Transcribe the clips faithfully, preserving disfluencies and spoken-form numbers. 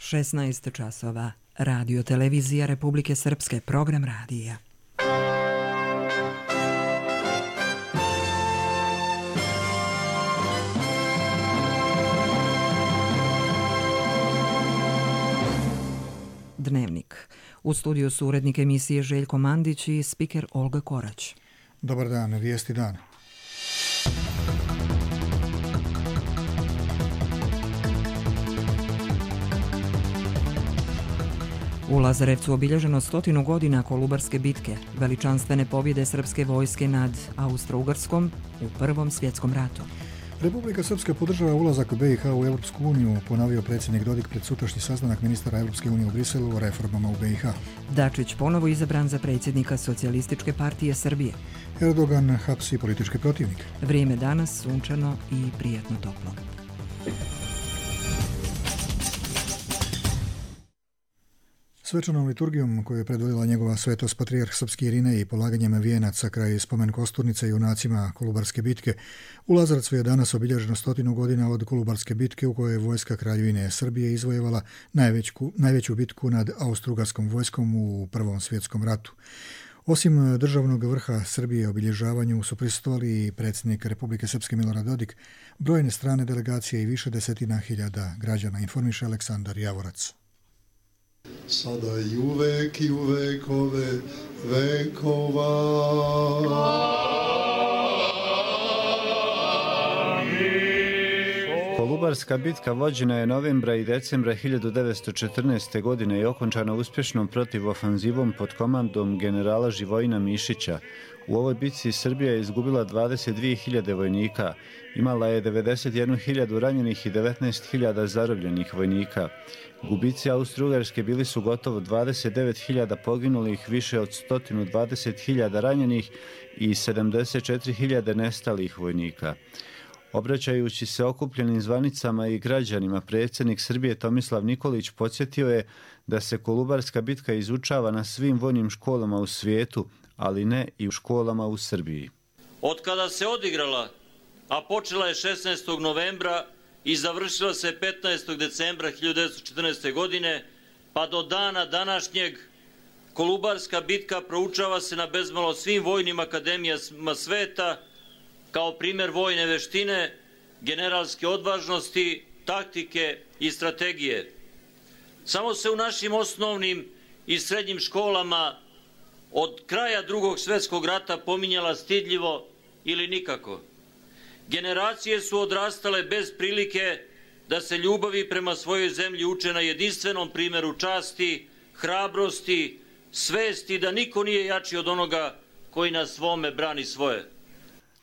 šesnaest časova. Radio televizija Republike Srpske, program radija. Dnevnik. U studiju su urednik emisije Željko Mandić i spiker Olga Korać. Dobar dan, vijesti dan. U Lazarevcu obilježeno stotinu godina Kolubarske bitke, veličanstvene pobjede srpske vojske nad Austro-Ugarskom u Prvom svjetskom ratu. Republika Srpska podržava ulazak B i H u Europsku uniju, ponovio predsjednik Dodik pred sutrašnji sastanak ministara Europske unije u Briselu o reformama u B i H. Dačić ponovo izabran za predsjednika Socijalističke partije Srbije. Erdogan hapsi političke protivnike. Vrijeme danas sunčano i prijatno toplo. Svečanom liturgijom koju je predvodila njegova svetost patrijarh srpski Irinej i polaganjem vijenaca kraj spomen kosturnice junacima Kolubarske bitke, u Lazarevcu je danas obilježeno stotinu godina od Kolubarske bitke u kojoj je vojska Kraljevine Srbije izvojevala najveću, najveću bitku nad Austro-Ugarskom vojskom u Prvom svjetskom ratu. Osim državnog vrha Srbije obilježavanju su prisustvovali i predsjednik Republike Srpske Milorad Dodik, brojne strane delegacije i više desetina hiljada građana, informiše Aleksandar Javorac. Sada i uvek i u vekove vekova. Kolubarska bitka vođena je novembra i decembra hiljadu devetsto četrnaeste. godine i okončana uspješnom protivofanzivom pod komandom generala Živojina Mišića. U ovoj bitci Srbija je izgubila dvadeset dvije hiljade vojnika, imala je devedeset jednu hiljadu ranjenih i devetnaest hiljada zarobljenih vojnika. Gubici Austro-Ugarske bili su gotovo dvadeset devet hiljada poginulih, više od sto dvadeset hiljada ranjenih i sedamdeset četiri hiljade nestalih vojnika. Obraćajući se okupljenim zvanicama i građanima, predsjednik Srbije Tomislav Nikolić podsjetio je da se Kolubarska bitka izučava na svim vojnim školama u svijetu, ali ne i u školama u Srbiji. Od kada se odigrala, a počela je šesnaestog novembra i završila se petnaestog decembra hiljadu devetsto četrnaeste. godine, pa do dana današnjeg, Kolubarska bitka proučava se na bezmalo svim vojnim akademijama sveta kao primjer vojne veštine, generalske odvažnosti, taktike i strategije. Samo se u našim osnovnim i srednjim školama od kraja Drugog svjetskog rata pominjala stidljivo ili nikako. Generacije su odrastale bez prilike da se ljubavi prema svojoj zemlji uče na jedinstvenom primjeru časti, hrabrosti, svesti da niko nije jači od onoga koji na svome brani svoje.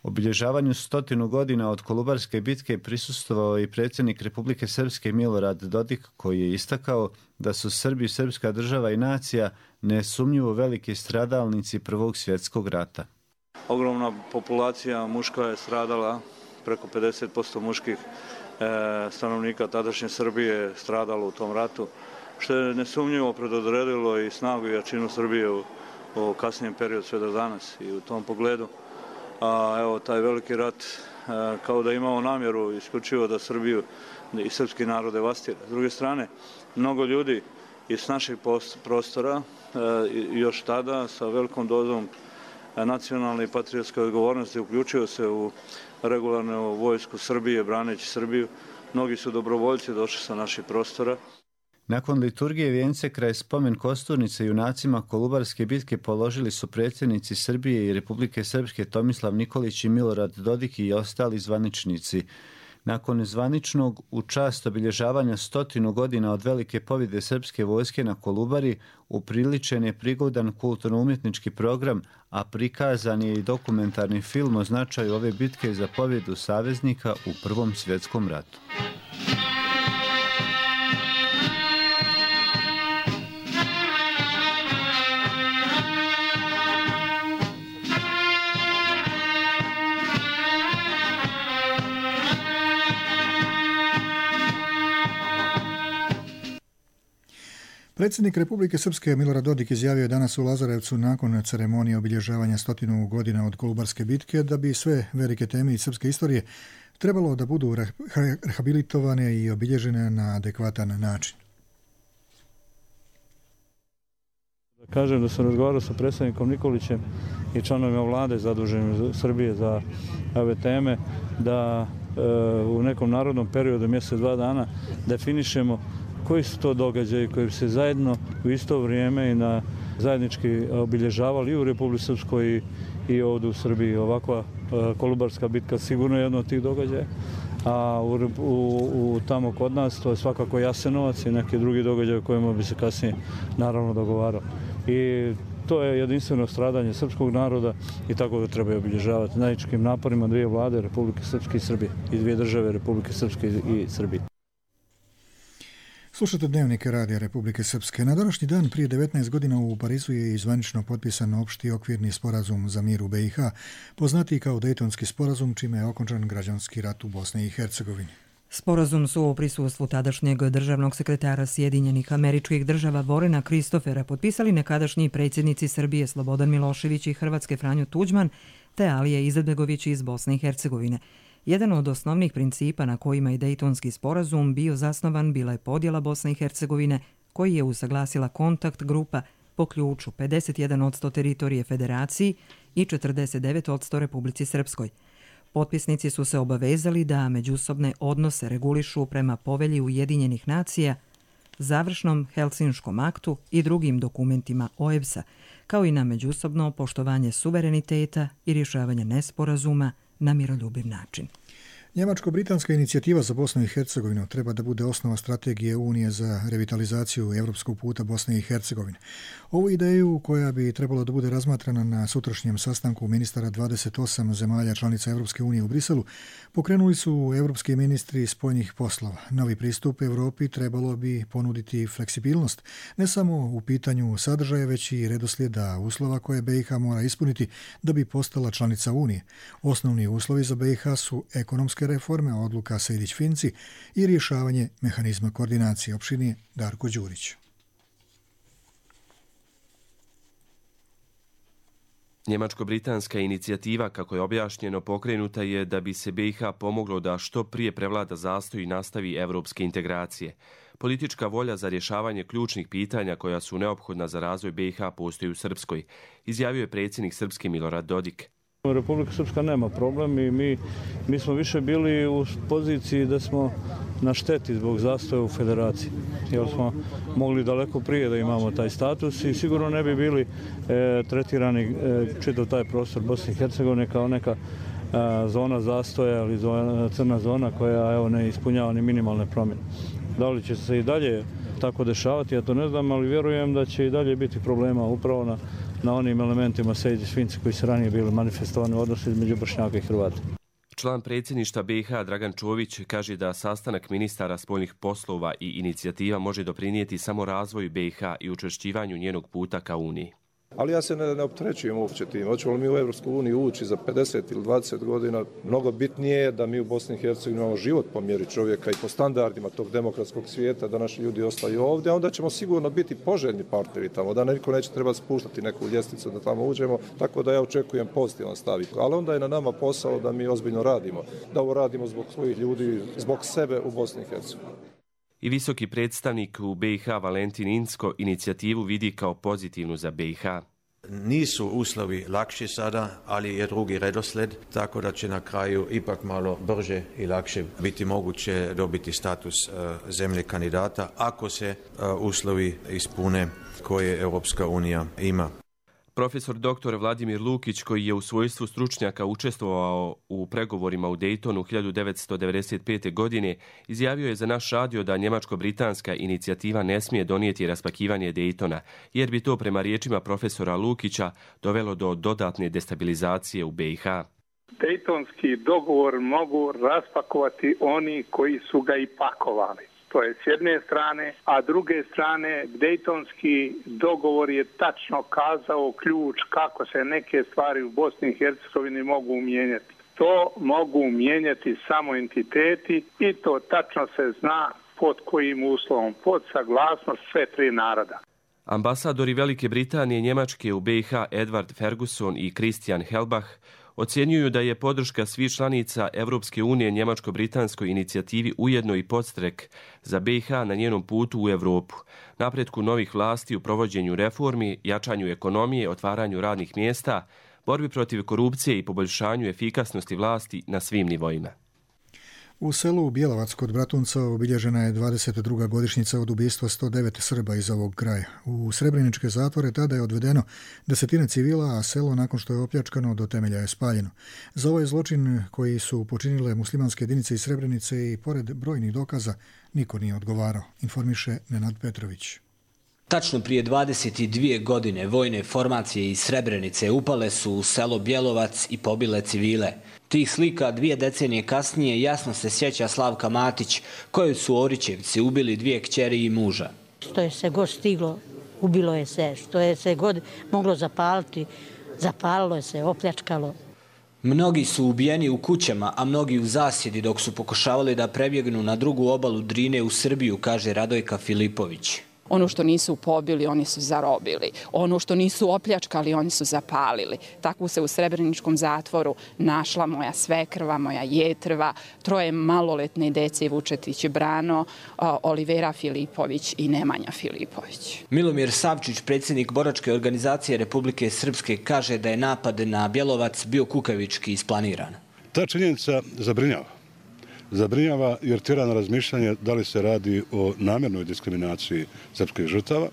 Obilježavanju stotinu godina od Kolubarske bitke prisustvovao i predsjednik Republike Srpske Milorad Dodik, koji je istakao da su Srbi, srpska država i nacija nesumnjivo veliki stradalnici Prvog svjetskog rata. Ogromna populacija muška je stradala, preko pedeset posto muških e, stanovnika tadašnje Srbije stradalo u tom ratu, što je nesumnjivo predodredilo i snagu i jačinu Srbije u, u kasnijem periodu sve do danas i u tom pogledu. A evo, taj veliki rat a, kao da imao namjeru isključivo da Srbiju i srpski narod devastira. S druge strane, mnogo ljudi iz naših prostora a, još tada sa velikom dozom nacionalne i patriotske odgovornosti uključio se u regularnu vojsku Srbije, braneći Srbiju. Mnogi su dobrovoljci došli sa naših prostora. Nakon liturgije vijence kraj spomen kosturnice junacima Kolubarske bitke položili su predsjednici Srbije i Republike Srpske Tomislav Nikolić i Milorad Dodik i ostali zvaničnici. Nakon zvaničnog u čast obilježavanja stotinu godina od velike pobjede srpske vojske na Kolubari, upriličen je prigodan kulturno-umjetnički program, a prikazan je i dokumentarni film o značaju ove bitke za pobjedu saveznika u Prvom svjetskom ratu. Predsjednik Republike Srpske Milorad Dodik izjavio je danas u Lazarevcu nakon ceremonije obilježavanja stotinu godina od Kolubarske bitke da bi sve velike teme iz srpske istorije trebalo da budu rehabilitovane i obilježene na adekvatan način. Kažem da sam razgovarao sa predsjednikom Nikolićem i članovima vlade zaduženim Srbije za ove teme, da e, u nekom narodnom periodu, mjesec, dva dana, definišemo koji su to događaji koji bi se zajedno u isto vrijeme i na zajednički obilježavali i u Republici Srpskoj i, i ovdje u Srbiji. Ovakva e, Kolubarska bitka sigurno je jedno od tih događaja. A u, u, u tamo kod nas to je svakako Jasenovac i neki drugi događaj o kojima bi se kasnije naravno dogovarao. I to je jedinstveno stradanje srpskog naroda i tako ga treba obilježavati zajedničkim naporima dvije vlade, Republike Srpske i Srbije, i dvije države, Republike Srpske i Srbije. Slušate Dnevnike Radija Republike Srpske. Na današnji dan prije devetnaest godina u Parizu je izvanično potpisan opšti okvirni sporazum za mir u B i H, poznatiji kao Dejtonski sporazum, čime je okončan građanski rat u Bosni i Hercegovini. Sporazum su u prisustvu tadašnjeg državnog sekretara Sjedinjenih Američkih Država Vorena Kristofera potpisali nekadašnji predsjednici Srbije Slobodan Milošević i Hrvatske Franjo Tuđman te Alija Izetbegović iz Bosne i Hercegovine. Jedan od osnovnih principa na kojima je Dejtonski sporazum bio zasnovan bila je podjela Bosne i Hercegovine, koji je usaglasila kontakt grupa po ključu pedeset jedan posto teritorije Federaciji i četrdeset devet posto Republici Srpskoj. Potpisnici su se obavezali da međusobne odnose regulišu prema Povelji Ujedinjenih nacija, završnom Helsinškom aktu i drugim dokumentima O E B S-a, kao i na međusobno poštovanje suvereniteta i rješavanje nesporazuma na miroljubiv način. Njemačko-britanska inicijativa za Bosnu i Hercegovinu treba da bude osnova strategije Unije za revitalizaciju evropskog puta Bosne i Hercegovine. Ovu ideju, koja bi trebalo da bude razmatrana na sutrašnjem sastanku ministara dvadeset osam zemalja članica Evropske unije u Briselu, pokrenuli su evropski ministri spoljnih poslova. Novi pristup Evropi trebalo bi ponuditi fleksibilnost, ne samo u pitanju sadržaja, već i redoslijeda uslova koje B i H mora ispuniti da bi postala članica Unije. Osnovni uslovi za B i H su ekonomske reforme, odluka Sejdić-Finci i rješavanje mehanizma koordinacije. Opširnije Darko Đurić. Njemačko-britanska inicijativa, kako je objašnjeno, pokrenuta je da bi se B i H pomoglo da što prije prevlada zastoj i nastavi evropske integracije. Politička volja za rješavanje ključnih pitanja koja su neophodna za razvoj B i H postoji u Srpskoj, izjavio je predsjednik Srpske Milorad Dodik. Republika Srpska nema problem i mi, mi smo više bili u poziciji da smo na šteti zbog zastoja u federaciji. Jer smo mogli daleko prije da imamo taj status i sigurno ne bi bili e, tretirani e, čitav taj prostor Bosne i Hercegovine kao neka e, zona zastoja ili zona, crna zona koja evo, ne ispunjava ni minimalne promjene. Da li će se i dalje tako dešavati, ja to ne znam, ali vjerujem da će i dalje biti problema upravo na na onim elementima Sejdić-Finci koji su ranije bili manifestovani u odnosu između Bošnjaka i Hrvata. Član predsjedništva B i H Dragan Čović kaže da sastanak ministara spoljnih poslova i inicijativa može doprinijeti samo razvoju B i H i učvršćivanju njenog puta ka Uniji. Ali ja se ne, ne opterećujem uopće tim. Hoćemo li mi u Evropsku uniju ući za pedeset ili dvadeset godina? Mnogo bitnije je da mi u Bosni i Hercegovini imamo život po mjeri čovjeka i po standardima tog demokratskog svijeta, da naši ljudi ostaju ovdje, a onda ćemo sigurno biti poželjni partneri tamo, da niko neće trebati spuštati neku ljestvicu da tamo uđemo, tako da ja očekujem pozitivan stav. Ali onda je na nama posao da mi ozbiljno radimo, da ovo radimo zbog svojih ljudi, zbog sebe u Bosni i Hercegovini. I visoki predstavnik u B i H Valentin Inzko inicijativu vidi kao pozitivnu za B i H. Nisu uslovi lakši sada, ali je drugi redosled, tako da će na kraju ipak malo brže i lakše biti moguće dobiti status uh, zemlje kandidata ako se uh, uslovi ispune koje Europska unija ima. Profesor doktor Vladimir Lukić, koji je u svojstvu stručnjaka učestvovao u pregovorima u Dejtonu hiljadu devetsto devedeset pete. godine, izjavio je za naš radio da njemačko-britanska inicijativa ne smije donijeti raspakivanje Dejtona, jer bi to prema riječima profesora Lukića dovelo do dodatne destabilizacije u B i H. Dejtonski dogovor mogu raspakovati oni koji su ga i pakovali. To je s jedne strane, a druge strane Dejtonski dogovor je tačno kazao ključ kako se neke stvari u Bosni i Hercegovini mogu mijenjati. To mogu mijenjati samo entiteti i to tačno se zna pod kojim uslovom, pod saglasnost sve tri naroda. Ambasadori Velike Britanije i Njemačke u B i H Edward Ferguson i Christian Helbach Ocjenjuju da je podrška svih članica Evropske unije njemačko-britanskoj inicijativi ujedno i podstrek za B i H na njenom putu u Evropu, napretku novih vlasti u provođenju reformi, jačanju ekonomije, otvaranju radnih mjesta, borbi protiv korupcije i poboljšanju efikasnosti vlasti na svim nivoima. U selu Bjelovac kod Bratunca obilježena je dvadeset druga godišnjica od ubistva sto devet Srba iz ovog kraja. U srebreničke zatvore tada je odvedeno desetine civila, a selo nakon što je opljačkano do temelja je spaljeno. Za ovaj zločin koji su počinile muslimanske jedinice iz Srebrenice i pored brojnih dokaza niko nije odgovarao, informiše Nenad Petrović. Tačno prije dvadeset dvije godine vojne formacije iz Srebrenice upale su u selo Bjelovac i pobile civile. Tih slika dvije decenije kasnije jasno se sjeća Slavka Matić, koju su Orićevci ubili dvije kćeri i muža. Što je se god stiglo, ubilo je se. Što je se god moglo zapaliti, zapalilo je se, opljačkalo. Mnogi su ubijeni u kućama, a mnogi u zasjedi dok su pokušavali da prebjegnu na drugu obalu Drine u Srbiju, kaže Radojka Filipović. Ono što nisu pobili, oni su zarobili. Ono što nisu opljačkali, oni su zapalili. Tako se u Srebreničkom zatvoru našla moja svekrva, moja jetrva, troje maloletne dece Vučetić Brano, Olivera Filipović i Nemanja Filipović. Milomir Savčić, predsjednik boračke organizacije Republike Srpske, kaže da je napad na Bjelovac bio kukavički isplaniran. Ta činjenica zabrinjava. Zabrinjava jer tjera na razmišljanje da li se radi o namjernoj diskriminaciji srpskih žrtava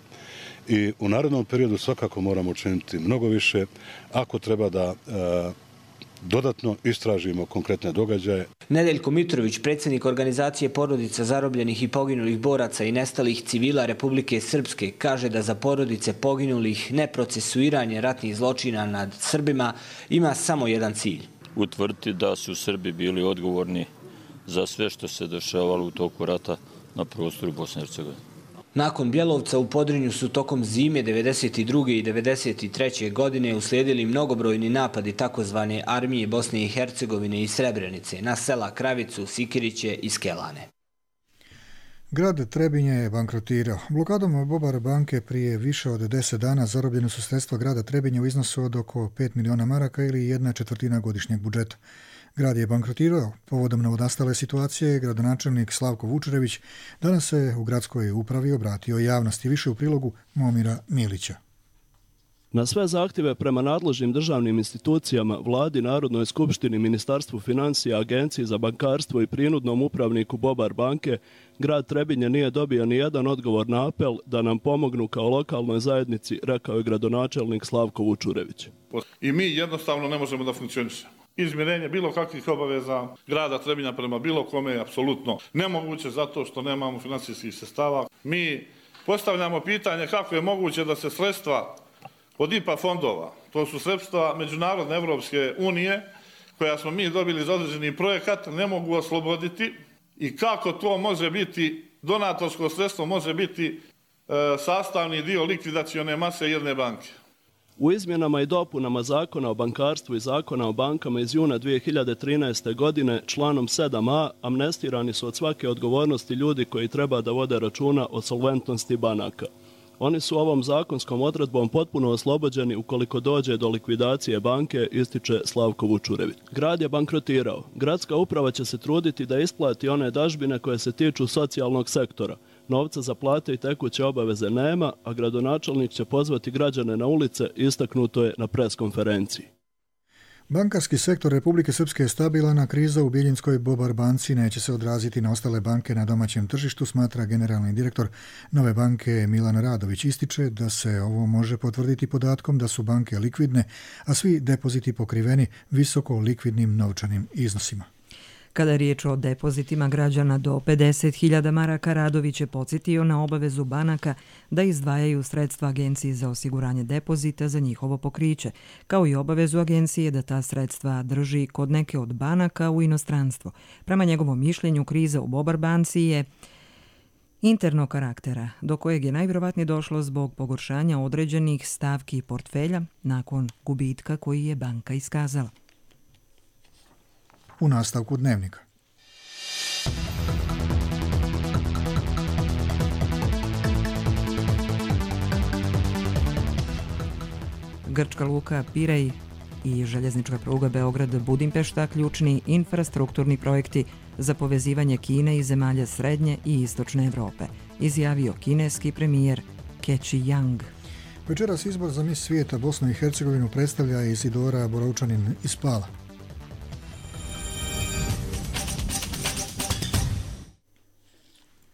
i u narednom periodu svakako moramo učiniti mnogo više ako treba da e, dodatno istražimo konkretne događaje. Nedeljko Mitrović, predsjednik organizacije porodica zarobljenih i poginulih boraca i nestalih civila Republike Srpske, kaže da za porodice poginulih neprocesuiranje ratnih zločina nad Srbima ima samo jedan cilj. Utvrditi da su Srbi bili odgovorni za sve što se dešavalo u toku rata na prostoru Bosne i Hercegovine. Nakon Bjelovca u Podrinju su tokom zime devedeset druge i devedeset treće godine uslijedili mnogobrojni napadi takozvane armije Bosne i Hercegovine i Srebrenice na sela Kravicu, Sikiriće i Skelane. Grad Trebinje je bankrotirao. Blokadom Bobar banke prije više od deset dana zarobljene su sredstva grada Trebinje u iznosu od oko pet miliona maraka ili jedna četvrtina godišnjeg budžeta. Grad je bankrotirao. Povodom novonastale situacije, gradonačelnik Slavko Vučurević danas se u gradskoj upravi obratio javnosti. Više u prilogu Momira Milića. Na sve zahtjeve prema nadležnim državnim institucijama, vladi, Narodnoj skupštini, Ministarstvu financija, Agenciji za bankarstvo i prinudnom upravniku Bobar banke, grad Trebinje nije dobio ni jedan odgovor na apel da nam pomognu kao lokalnoj zajednici, rekao je gradonačelnik Slavko Vučurević. I mi jednostavno ne možemo da funkcionišemo. Izmirenje bilo kakvih obaveza grada Trebinja prema bilo kome je apsolutno nemoguće zato što nemamo finansijskih sredstava. Mi postavljamo pitanje kako je moguće da se sredstva od I P A fondova, to su sredstva Međunarodne Evropske unije, koja smo mi dobili za određeni projekat, ne mogu osloboditi i kako to može biti, donatorsko sredstvo može biti e, sastavni dio likvidacione mase jedne banke. U izmjenama i dopunama Zakona o bankarstvu i Zakona o bankama iz juna dvije hiljade trinaeste. godine članom sedam a amnestirani su od svake odgovornosti ljudi koji treba da vode računa o solventnosti banaka. Oni su ovom zakonskom odredbom potpuno oslobođeni ukoliko dođe do likvidacije banke, ističe Slavko Vučurević. Grad je bankrotirao. Gradska uprava će se truditi da isplati one dažbine koje se tiču socijalnog sektora. Novca za plate i tekuće obaveze nema, a gradonačelnik će pozvati građane na ulice, istaknuto je na preskonferenciji. Bankarski sektor Republike Srpske je stabilan, a kriza u Bijeljinskoj Bobar banci neće se odraziti na ostale banke na domaćem tržištu, smatra generalni direktor Nove banke Milan Radović. Ističe da se ovo može potvrditi podatkom da su banke likvidne, a svi depoziti pokriveni visoko likvidnim novčanim iznosima. Kada je riječ o depozitima građana do pedeset hiljada maraka, Radović je podsjetio na obavezu banaka da izdvajaju sredstva Agenciji za osiguranje depozita za njihovo pokriće, kao i obavezu agencije da ta sredstva drži kod neke od banaka u inostranstvo. Prema njegovom mišljenju, kriza u Bobar banci je internog karaktera, do kojeg je najvjerovatnije došlo zbog pogoršanja određenih stavki portfelja nakon gubitka koji je banka iskazala. U nastavku dnevnika. Grčka luka Pirej i željeznička pruga Beograd-Budimpešta ključni infrastrukturni projekti za povezivanje Kine i zemalja Srednje i Istočne Evrope, izjavio kineski premijer Keći Yang. Večeras izbor za mis svijeta Bosnu i Hercegovinu predstavlja Izidora Borovčanin iz Pala.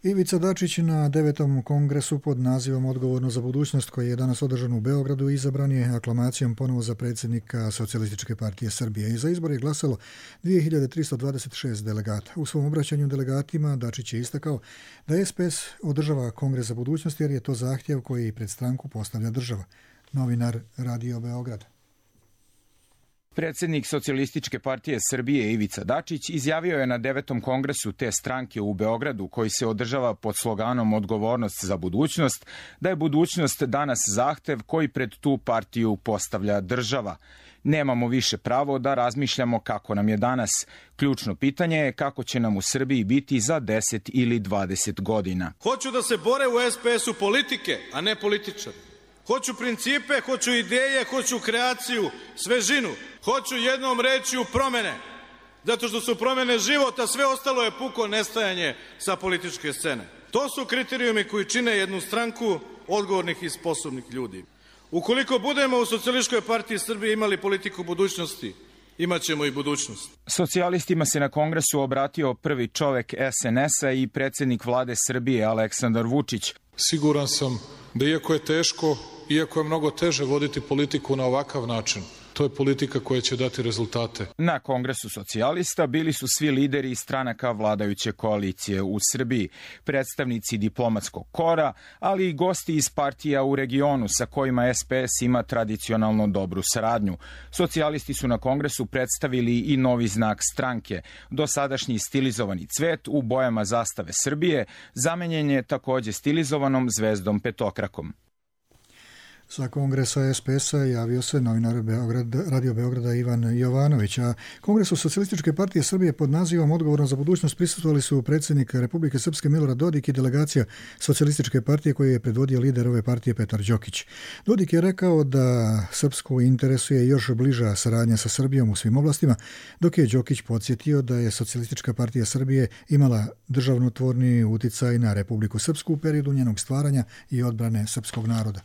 Ivica Dačić na devetom kongresu pod nazivom Odgovorno za budućnost, koji je danas održan u Beogradu, izabran je aklamacijom ponovo za predsjednika Socijalističke partije Srbije. I za izbor je glasalo dvije hiljade tristo dvadeset šest delegata. U svom obraćanju delegatima Dačić je istakao da S P S održava kongres za budućnost jer je to zahtjev koji pred stranku postavlja država. Novinar Radio Beograd. Predsjednik Socijalističke partije Srbije Ivica Dačić izjavio je na devetom kongresu te stranke u Beogradu, koji se održava pod sloganom Odgovornost za budućnost, da je budućnost danas zahtev koji pred tu partiju postavlja država. Nemamo više pravo da razmišljamo kako nam je danas. Ključno pitanje je kako će nam u Srbiji biti za deset ili dvadeset godina. Hoću da se bore u S P S-u politike, a ne političari. Hoću principe, hoću ideje, hoću kreaciju, svežinu. Hoću jednom reći u promene, zato što su promene života, sve ostalo je puko nestajanje sa političke scene. To su kriterijumi koji čine jednu stranku odgovornih i sposobnih ljudi. Ukoliko budemo u Socijalističkoj partiji Srbije imali politiku budućnosti, imat ćemo i budućnost. Socijalistima se na kongresu obratio prvi čovek S N S-a i predsjednik vlade Srbije Aleksandar Vučić. Siguran sam da iako je teško, iako je mnogo teže voditi politiku na ovakav način, to je politika koja će dati rezultate. Na kongresu socijalista bili su svi lideri stranaka vladajuće koalicije u Srbiji, predstavnici diplomatskog kora, ali i gosti iz partija u regionu sa kojima S P S ima tradicionalno dobru saradnju. Socijalisti su na kongresu predstavili i novi znak stranke. Dosadašnji stilizovani cvet u bojama zastave Srbije zamenjen je također stilizovanom zvezdom petokrakom. Sa kongresa S P S-a javio se novinar Beograd, Radio Beograda Ivan Jovanović, a Kongresu Socijalističke partije Srbije pod nazivom Odgovorno za budućnost prisustvovali su predsjednik Republike Srpske Milorad Dodik i delegacija Socijalističke partije koju je predvodio lider ove partije Petar Đokić. Dodik je rekao da Srpsku interesuje još bliža saradnja sa Srbijom u svim oblastima, dok je Đokić podsjetio da je Socijalistička partija Srbije imala državnotvorni uticaj na Republiku Srpsku u periodu njenog stvaranja i odbrane srpskog naroda.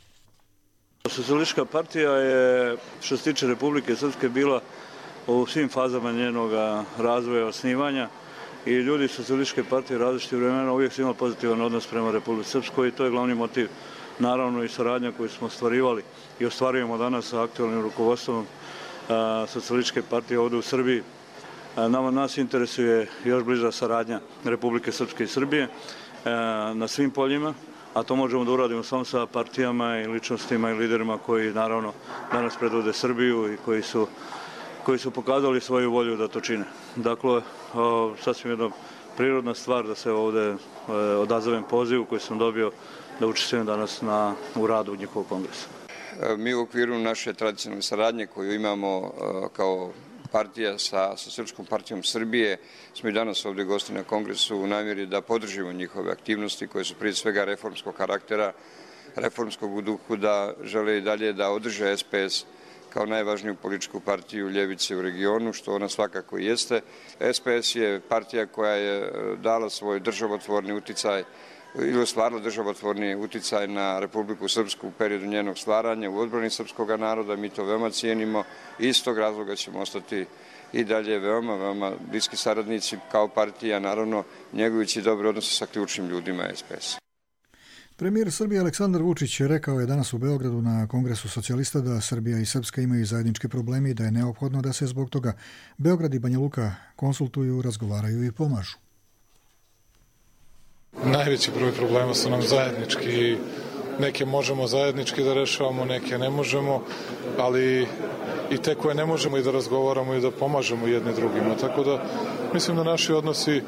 Socijalistička partija je, što se tiče Republike Srpske, bila u svim fazama njenog razvoja, osnivanja i ljudi Socijalističke partije različitih vremena uvijek su imali pozitivan odnos prema Republike Srpskoj i to je glavni motiv, naravno i saradnja koju smo ostvarivali i ostvarujemo danas sa aktualnim rukovodstvom Socijalističke partije ovdje u Srbiji. Nama nas interesuje još bliža saradnja Republike Srpske i Srbije na svim poljima, a to možemo da uradimo samo sa partijama i ličnostima i liderima koji naravno danas predvode Srbiju i koji su, koji su pokazali svoju volju da to čine. Dakle, o, sasvim jedna prirodna stvar da se ovdje odazovem pozivu koji sam dobio da učestvujem danas na, u radu njihovog kongresa. Mi u okviru naše tradicionalne saradnje koju imamo kao partija sa, sa Srpskom partijom Srbije smo i danas ovdje gosti na kongresu u namjeri da podržimo njihove aktivnosti koje su prije svega reformskog karaktera, reformskog u duhu da žele i dalje da održe S P S kao najvažniju političku partiju ljevice u regionu, što ona svakako jeste. S P S je partija koja je dala svoj državotvorni uticaj ili ostvarila državotvorni uticaj na Republiku Srpsku u periodu njenog stvaranja u odbrani srpskog naroda. Mi to veoma cijenimo i iz tog razloga ćemo ostati i dalje veoma, veoma bliski saradnici kao partija, naravno njegujući dobre odnose sa ključnim ljudima S P S. Premijer Srbije Aleksandar Vučić rekao je danas u Beogradu na Kongresu socijalista da Srbija i Srpska imaju zajedničke probleme i da je neophodno da se zbog toga Beograd i Banja Luka konsultuju, razgovaraju i pomažu. Najveći broj problema su nam zajednički. Neke možemo zajednički da rešavamo, neke ne možemo, ali i te koje ne možemo i da razgovaramo i da pomažemo jedne drugima. Tako da mislim da naši odnosi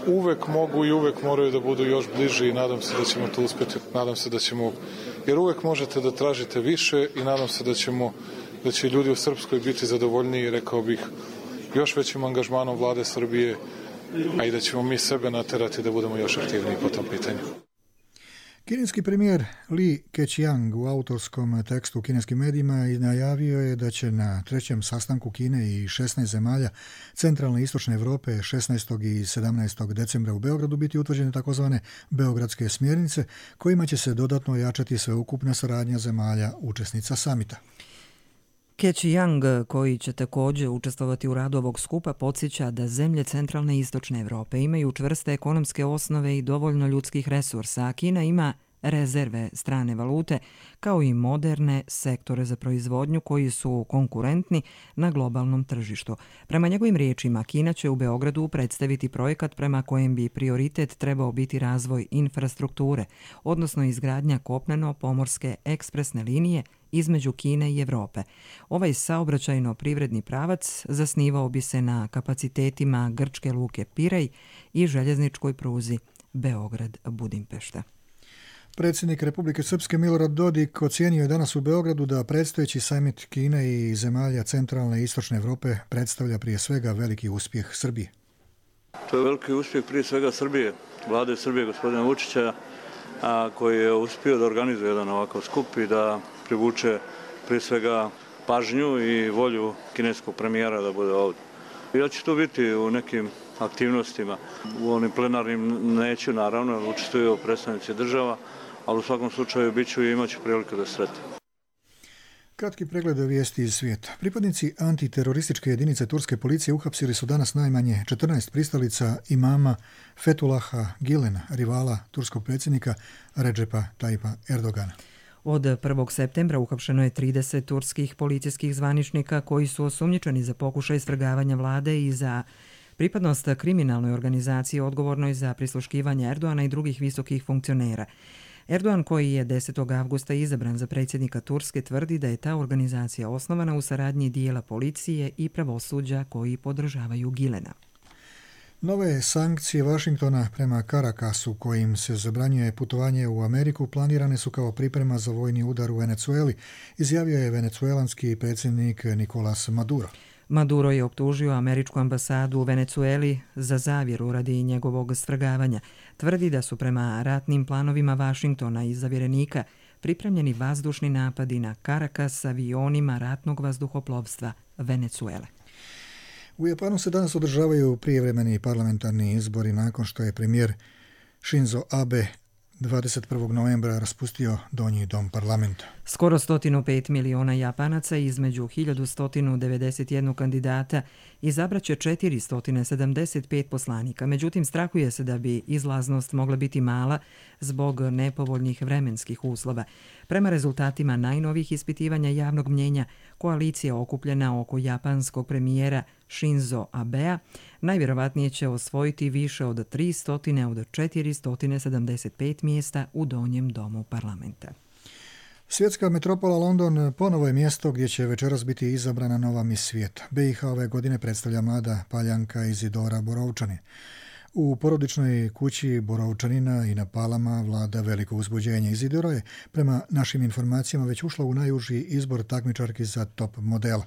uvek mogu i uvek moraju da budu još bliži i nadam se da ćemo to uspjeti. Nadam se da ćemo, jer uvek možete da tražite više i nadam se da ćemo, da će ljudi u Srpskoj biti zadovoljniji, rekao bih, još većim angažmanom vlade Srbije, a i da ćemo mi sebe naterati da budemo još aktivniji po tom pitanju. Kineski premijer Li Keqiang u autorskom tekstu u kineskim medijima najavio je da će na trećem sastanku Kine i šesnaest zemalja centralne i istočne Europe šesnaestog i sedamnaestog decembra u Beogradu biti utvrđene takozvane beogradske smjernice kojima će se dodatno ojačati sveukupna saradnja zemalja učesnica samita. Keqiang, koji će također učestvovati u radu ovog skupa, podsjeća da zemlje centralne i istočne Europe imaju čvrste ekonomske osnove i dovoljno ljudskih resursa, a Kina ima rezerve strane valute, kao i moderne sektore za proizvodnju koji su konkurentni na globalnom tržištu. Prema njegovim riječima, Kina će u Beogradu predstaviti projekat prema kojem bi prioritet trebao biti razvoj infrastrukture, odnosno izgradnja kopneno-pomorske ekspresne linije između Kine i Europe. Ovaj saobraćajno-privredni pravac zasnivao bi se na kapacitetima grčke luke Pirej i željezničkoj pruzi Beograd-Budimpešta. Predsjednik Republike Srpske Milorad Dodik ocijenio je danas u Beogradu da predstojeći samit Kine i zemalja centralne i istočne Europe predstavlja prije svega veliki uspjeh Srbije. To je veliki uspjeh prije svega Srbije, vlade Srbije gospodina Vučića, a, koji je uspio da organizuje jedan ovakav skup i da privuče prije svega pažnju i volju kineskog premijera da bude ovdje. Ja ću tu biti u nekim aktivnostima. U onim plenarnim neću naravno, učestvuju predstavnici država, ali u svakom slučaju bit ću i imat ću priliku da sretim. Kratki pregled vijesti iz svijeta. Pripadnici antiterorističke jedinice turske policije uhapsili su danas najmanje četrnaest pristalica imama Fethullaha Gülena, rivala turskog predsjednika Recepa Tayyipa Erdogana. Od prvog septembra uhapšeno je trideset turskih policijskih zvaničnika koji su osumnjičeni za pokušaj svrgavanja vlade i za pripadnost kriminalnoj organizaciji odgovornoj za prisluškivanje Erdoana i drugih visokih funkcionera. Erdogan, koji je desetog avgusta izabran za predsjednika Turske, tvrdi da je ta organizacija osnovana u saradnji dijela policije i pravosuđa koji podržavaju Gülena. Nove sankcije Vašingtona prema Caracasu, kojim se zabranjuje putovanje u Ameriku, planirane su kao priprema za vojni udar u Venecueli, izjavio je venecuelanski predsjednik Nicolás Maduro. Maduro je optužio američku ambasadu u Venecueli za zavjeru radi njegovog svrgavanja. Tvrdi da su prema ratnim planovima Vašingtona i zavjerenika pripremljeni vazdušni napadi na Caracas avionima ratnog vazduhoplovstva Venecuele. U Japanu se danas održavaju prijevremeni parlamentarni izbori nakon što je premijer Shinzo Abe dvadeset prvog novembra raspustio donji dom parlamenta. Skoro sto pet miliona Japanaca između hiljadu sto devedeset jedan kandidata izabraće četiristo sedamdeset pet poslanika. Međutim, strahuje se da bi izlaznost mogla biti mala zbog nepovoljnih vremenskih uslova. Prema rezultatima najnovih ispitivanja javnog mnjenja, koalicija okupljena oko japanskog premijera Shinzo Abea najvjerovatnije će osvojiti više od tristo od četiristo sedamdeset pet mjesta u donjem domu parlamenta. Svjetska metropola London ponovo je mjesto gdje će večeras biti izabrana nova mis svijeta. be i ha ove godine predstavlja mlada Paljanka Izidora Borovčanin. U porodičnoj kući Borovčanina i na Palama vlada veliko uzbuđenje. Izidora je, prema našim informacijama, već ušla u najuži izbor takmičarki za top model.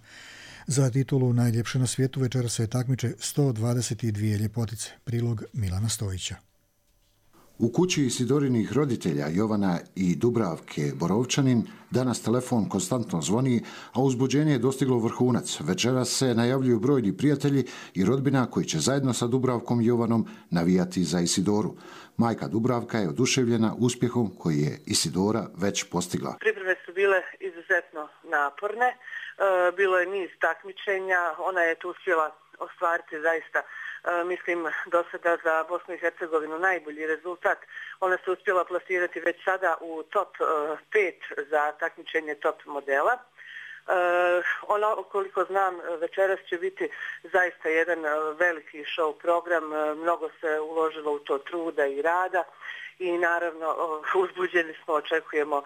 Za titulu najljepše na svijetu večera se takmiče sto dvadeset dvije ljepotice. Prilog Milana Stojića. U kući Isidorinih roditelja Jovana i Dubravke Borovčanin danas telefon konstantno zvoni, a uzbuđenje je dostiglo vrhunac. Večeras se najavljuju brojni prijatelji i rodbina koji će zajedno sa Dubravkom i Jovanom navijati za Isidoru. Majka Dubravka je oduševljena uspjehom koji je Isidora već postigla. Pripreme su bile izuzetno naporne, bilo je niz takmičenja, ona je tu uspjela ostvariti zaista mislim do sada za Bosnu i Hercegovinu najbolji rezultat. Ona se uspjela plasirati već sada u top pet za takmičenje top modela. Ono, koliko znam, večeras će biti zaista jedan veliki show program, mnogo se uložilo u to truda i rada i naravno uzbuđeni smo, očekujemo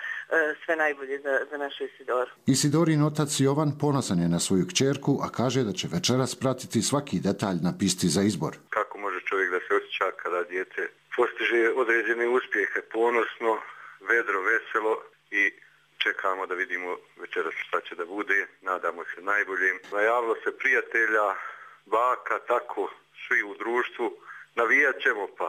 sve najbolje za, za našu Isidoru. Isidorin otac Jovan ponosan je na svoju kćerku, a kaže da će večeras pratiti svaki detalj na pisti za izbor. Kako može čovjek da se osjeća kada dijete postiže određene uspjehe, ponosno, vedro, veselo i čekamo da vidimo večeras šta će da bude, nadamo se najboljim. Najavilo se prijatelja, baka, tako, svi u društvu, navijat ćemo pa.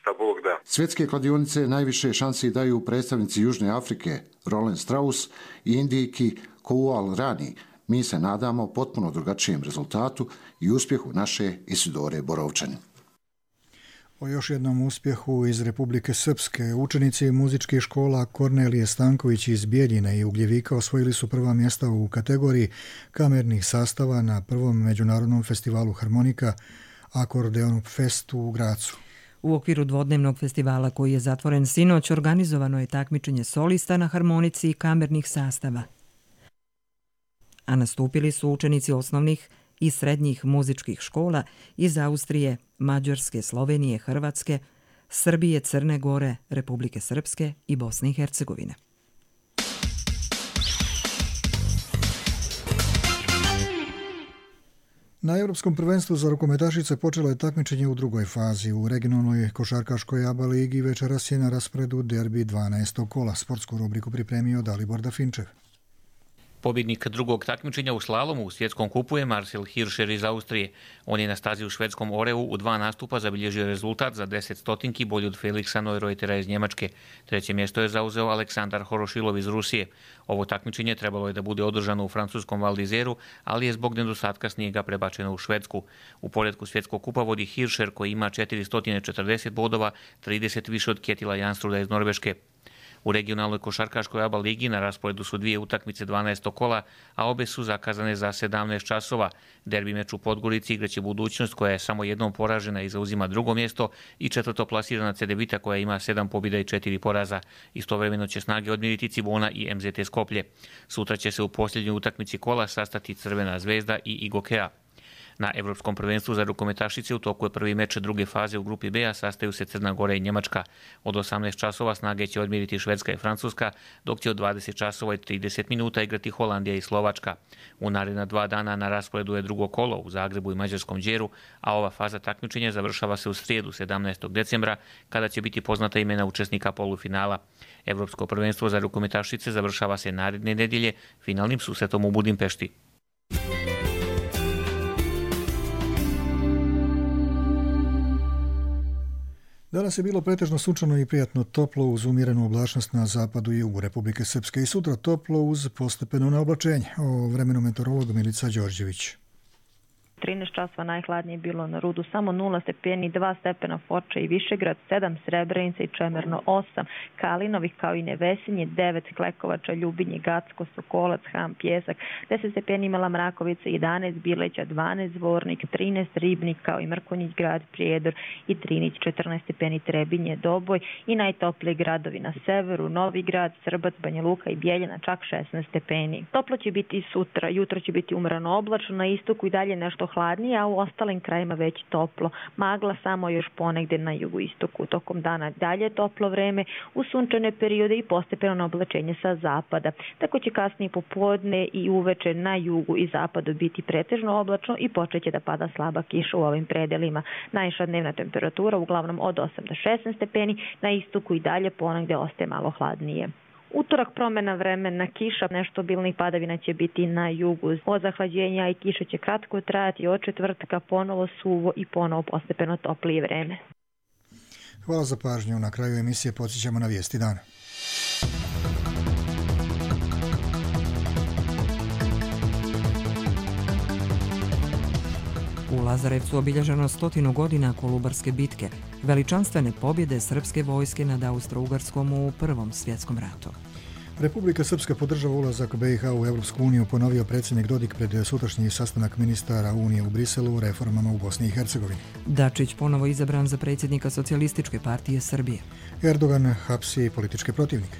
šta Bog da. Svjetske kladionice najviše šansi daju predstavnici Južne Afrike, Roland Strauss i Indijki Koual Rani. Mi se nadamo potpuno drugačijem rezultatu i uspjehu naše Isidore Borovčanin. O još jednom uspjehu iz Republike Srpske. Učenici muzičkih škola Kornelije Stanković iz Bijeljine i Ugljevika osvojili su prva mjesta u kategoriji kamernih sastava na prvom međunarodnom festivalu harmonika Akordeon Fest u Gracu. U okviru dvodnevnog festivala koji je zatvoren sinoć organizovano je takmičenje solista na harmonici i kamernih sastava. A nastupili su učenici osnovnih i srednjih muzičkih škola iz Austrije, Mađarske, Slovenije, Hrvatske, Srbije, Crne Gore, Republike Srpske i Bosne i Hercegovine. Na Europskom prvenstvu za rukometašice počelo je takmičenje u drugoj fazi. U regionalnoj košarkaškoj A B A ligi večeras je na rasporedu derbi dvanaestog kola. Sportsku rubriku pripremio Dalibor Dafinčev. Pobjednik drugog takmičenja u slalomu u svjetskom kupu je Marcel Hirscher iz Austrije. On je na stazi u švedskom Oreu u dva nastupa zabilježio rezultat za deset stotinki bolji od Felixa Neureutera iz Njemačke. Treće mjesto je zauzeo Aleksandar Horošilov iz Rusije. Ovo takmičenje trebalo je da bude održano u francuskom Val d'Isèru, ali je zbog nedostatka snijega prebačeno u Švedsku. U poredku svjetskog kupa vodi Hirscher koji ima četiristo četrdeset bodova, trideset više od Ketila Janstruda iz Norveške. U regionalnoj košarkaškoj A B A ligi na rasporedu su dvije utakmice dvanaestog kola, a obe su zakazane za sedamnaest časova. Derbi meč u Podgorici igraće Budućnost koja je samo jednom poražena i zauzima drugo mjesto i četvrto plasirana Cedevita koja ima sedam pobjeda i četiri poraza. Istovremeno će snage odmiriti Cibona i M Z T Skoplje. Sutra će se u posljednjoj utakmici kola sastati Crvena zvezda i Igokea. Na Evropskom prvenstvu za rukometašice u toku je prvi meč druge faze u grupi B, a sastaju se Crna Gora i Njemačka. Od osamnaest časova snage će odmiriti Švedska i Francuska, dok će od dvadeset časova i trideset minuta igrati Holandija i Slovačka. U naredna dva dana na rasporedu je drugo kolo u Zagrebu i Mađarskom Đeru, a ova faza takmičenja završava se u srijedu sedamnaestog decembra, kada će biti poznata imena učesnika polufinala. Evropsko prvenstvo za rukometašice završava se naredne nedjelje finalnim susretom u Budimpešti. Danas je bilo pretežno sunčano i prijatno toplo uz umjerenu oblačnost na zapadu i jugu Republike Srpske i sutra toplo uz postepeno naoblačenje. O vremenu meteorolog Milica Đorđević. trinaest časova najhladnije bilo na Rudu, samo nula stepeni, dva stepena Foča i Višegrad, sedam Srebrenica i Čemerno, osam Kalinovih kao i Nevesinje, devet Klekovača, Ljubinje, Gacko, Sokolac, Ham, Pjesak, deset stepeni Mala Mrakovica, jedanaest Bileća, dvanaest Zvornik, trinaest Ribnik kao i Mrkonjić grad, Prijedor i Trinić, četrnaest stepeni Trebinje, Doboj i najtopliji gradovi na severu, Novi Grad, Srbac, Banja Luka i Bjeljina, čak šesnaest stepeni. Toplo će biti i sutra, jutro će biti umrano oblačno, na istoku i dalje nešto hladnije, a u ostalim krajima već toplo. Magla samo još ponegde na jugoistoku. Tokom dana dalje toplo vreme, u sunčane periode i postepeno oblačenje sa zapada. Tako će kasnije popodne i uveče na jugu i zapadu biti pretežno oblačno i počeće da pada slaba kiša u ovim predelima. Najviša dnevna temperatura uglavnom od osam do šesnaest stepeni, na istoku i dalje ponegde ostaje malo hladnije. Utorak promjena vremena, kiša, nešto obilnih padavina će biti na jugu. Od zahlađenja i kiša će kratko trajati, od četvrtka ponovo suvo i ponovo postepeno toplije vreme. Hvala za pažnju. Na kraju emisije podsjećamo na vijesti dana. U Lazarevcu obilježeno stotinu godina Kolubarske bitke, veličanstvene pobjede srpske vojske nad Austro-Ugarskom u Prvom svjetskom ratu. Republika Srpska podržava ulazak B i H u Evropsku uniju, ponovio predsjednik Dodik pred sutrašnji sastanak ministara Unije u Briselu o reformama u Bosni i Hercegovini. Dačić ponovo izabran za predsjednika Socijalističke partije Srbije. Erdogan hapsi političke protivnike.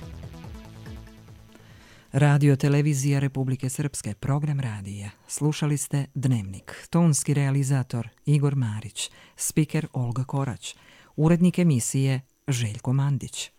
Radio televizija Republike Srpske, program radija. Slušali ste Dnevnik. Tonski realizator Igor Marić, spiker Olga Korać, urednik emisije Željko Mandić.